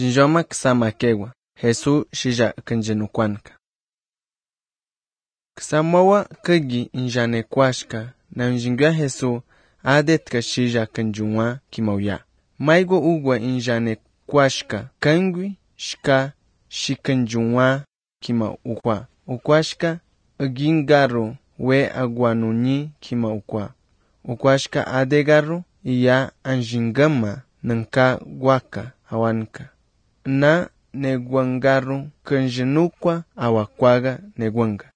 Jinjoma ksamakewa, Jesús shija kanjenukuanka. Ksamowa kagi injanekwashka, na njingwa Jesús adetka shija kanjunwa kimauya. Maigo ugwa injanekwashka, kangwi shka shikanjunwa kima ukwa. Ukwashka agingaru we aguanunyi kima ukwa. Ukwashka adegaru iya anjingama nanka gwaka awanka. Na negwangaru kanjenukwa awakwaga negwanga.